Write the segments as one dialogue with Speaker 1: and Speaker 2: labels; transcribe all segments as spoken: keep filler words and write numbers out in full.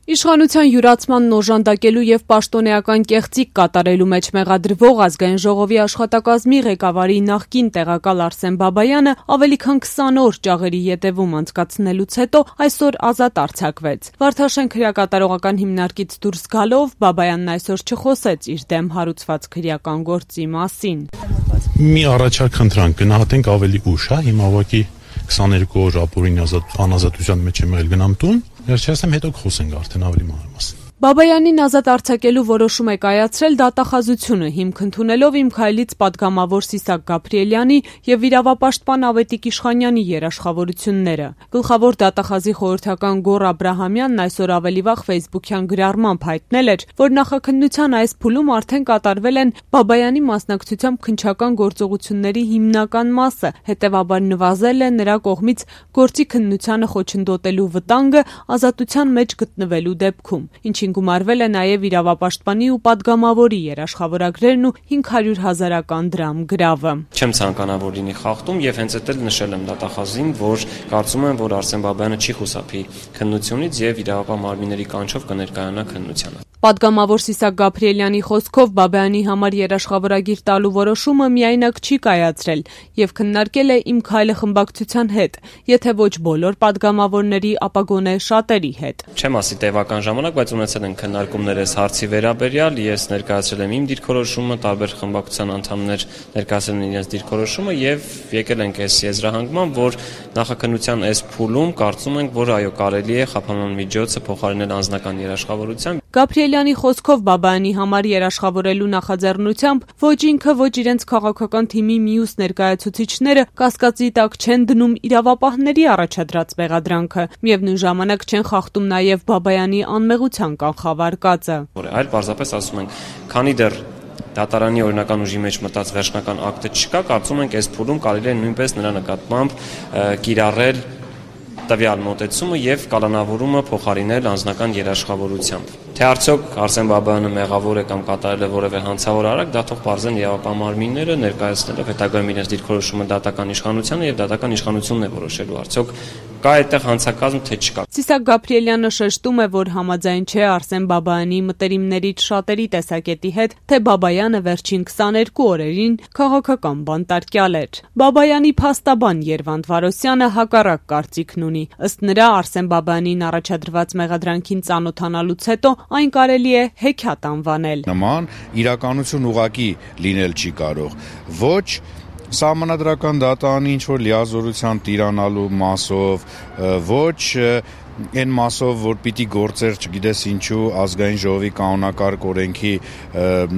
Speaker 1: Իշխանության յուրացմանն օժանդակելու եւ պաշտոնեական կեղծիք կատարելու մեջ մեղադրվող Ազգային ժողովի աշխատակազմի ղեկավարի նախկին տեղակալ Արսեն Բաբայանը ավելի քան քսան օր ճաղերի ետևում անցկացնելուց հետո այսօր ազատ արձակվեց։ Վարդաշեն քրեակատարողական հիմնարկից դուրս գալով Բաբայանն այսօր չխոսեց իր դեմ հարուցված քրեական գործի մասին։
Speaker 2: Մի առաջարկ խնդրանք գնահատենք ավելի ուշ, հա, հիմա ուղղակի քսաներկու օր ապօրինի անազատության մեջ եմ եղել, գնամ տուն, վերջերս հետո կխոսենք արդեն ավելի մանրամասն։
Speaker 1: Բաբայանին ազատ արձակելու որոշում է կայացրել դատախազությունը, հիմք ընդունելով Իմ քայլից պատգամավոր Սիսակ Գաբրիելյանի եւ իրավապաշտպան Ավետիք Իշխանյանի երաշխավորությունները։ Գլխավոր դատախազի խորհրդական Գոռ Աբրահամյանն այսօր ավելի վաղ ֆեյսբուքյան գրառմամբ հայտնել էր, որ նախաքննության այս փուլում արդեն կատարվել են Բաբայանի մասնակցությամբ քննչական գործողությունների հիմնական մասը, հետեւաբար նվազել է նրա կողմից գործի քննությանը խոչընդոտելու վտանգը ազատության մեջ գտնվելու դեպքում, ինչին գումարվել է նաև իրավապաշտպանի ու պատգամավորի երաշխավորագրերն ու հինգ հարյուր հազարական դրամ գրավը։
Speaker 3: Չեմ ցանկանա, որ լինի խախտում եւ հենց այդ էլ նշել եմ դատախազին, որ կարծում եմ, որ Արսեն Բաբայանը չի խուսափի քննությունից եւ իրավապահ մարմինների կանչով կներկայանա քննությանը։
Speaker 1: Պատգամավոր Սիսակ Գաբրիելյանի խոսքով Բաբայանի համար երաշխավորագիր տալու որոշումը միայնակ չի կայացրել եւ քննարկել է Իմ քայլը խմբակցության հետ, եթե ոչ բոլոր պատգամավորների, ապա գոնե շատերի հետ։
Speaker 3: Չեմ ասի տևական ժամանակ, բայց ունեցել են քննարկումներ այս հարցի վերաբերյալ, ես ներկայացրել եմ իմ դիրքորոշումը, տարբեր խմբակցության անդամներ ներկայացրել են իրենց դիրքորոշումը եւ եկել ենք այս եզրահանգման, որ նախաքննության այս փուլում կարծում ենք, որ այո, կարելի է խափանման միջոցը փոխարինել անձնական երաշխավորությամբ։
Speaker 1: Գաբրիելյանի խոսքով Բաբայանի համար երաշխավորելու նախաձեռնությամբ ոչ ինքը, ոչ իրենց քաղաքական թիմի մյուս ներկայացուցիչները կասկածի տակ չեն դնում իրավապահների առաջադրած մեղադրանքը, միևնույն ժամանակ չեն խախտում նաև Բաբայանի անմեղության կանխավարկածը։
Speaker 3: Այլ պարզապես ասում ենք, քանի դեռ դատարանի օրինական ուժի մեջ մտած վերջնական ակտը չկա, կարծում ենք այս փուլում կարելի է նույնպես նրա նկատմամբ կիրառել տվյալ մոտեցումը եւ կալանավորումը փոխարինել անձնական երաշխավորությամբ։ Թե արդյոք Արսեն Բաբայանը մեղավոր է կամ կատարել է որևէ հանցավոր արարք, դա թող պարզեն իրավապահ մարմինները ներկայացնելով հետագայում իրենց դիրքորոշումը դատական իշխանությանը եւ դատական իշխանությունն է որոշելու արդյոք կա այդտեղ հանցակազմ թե չկա։
Speaker 1: Սիսակ Գաբրիելյանը շեշտում է, որ համաձայն չէ Արսեն Բաբայանի մտերիմներից շատերի տեսակետի հետ, թե Բաբայանը վերջին քսաներկու օրերին քաղաքական բանտարկյալ էր։ Բաբայանի փաստաբան Երվանդ Վարոսյանը հակառակ կարծիքն ունի։ Ըստ նրա Արսեն Բաբայանին առաջադրված մեղադրանքին ծանոթանալուց հետո այն կարելի է հեքիաթ անվանել։
Speaker 4: Նման իրականություն ուղղակի լինել չի կարող։ Ոչ սահմանադրական դատարանի ինչ-որ լիազորության տիրանալու մասով, ոչ այն մասով, որ պիտի գործեր, չգիտես ինչու, ազգային ժողովի կանոնակարգ օրենքի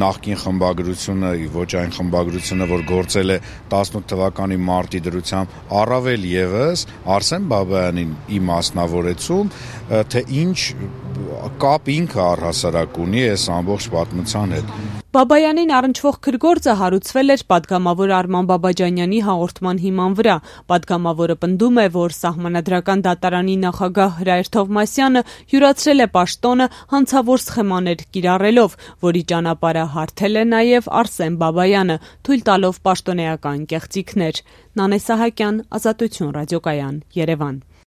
Speaker 4: նախկին խմբագրությունը, ոչ այն խմբագրությունը, որ գործել է տասնութ թվականի մարտի դրությամբ, առավել եւս Արսեն Բաբայանին ի մասնավորեցում, թե ինչ կապ ինքը առհասարակ ունի այս ամբողջ պատմության հետ։
Speaker 1: Բաբայանին առնչվող քրգործը հարուցվել էր պատգամավոր Արման Բաբաջանյանի հաղորդման հիման վրա։ Պատգամավորը պնդում է, որ սահմանադրական դատարանի նախագահ Հրայր Թովմասյանը յուրացրել է պաշտոնը հանցավոր սխեմաներ կիրառելով, որի ճանապարհը հարթել է նաև Արսեն Բաբայանը, թույլ տալով պաշտոնեական կեղծիքներ։ Նանե Սահակյան, Ազատություն ռադիոկայան, Երևան։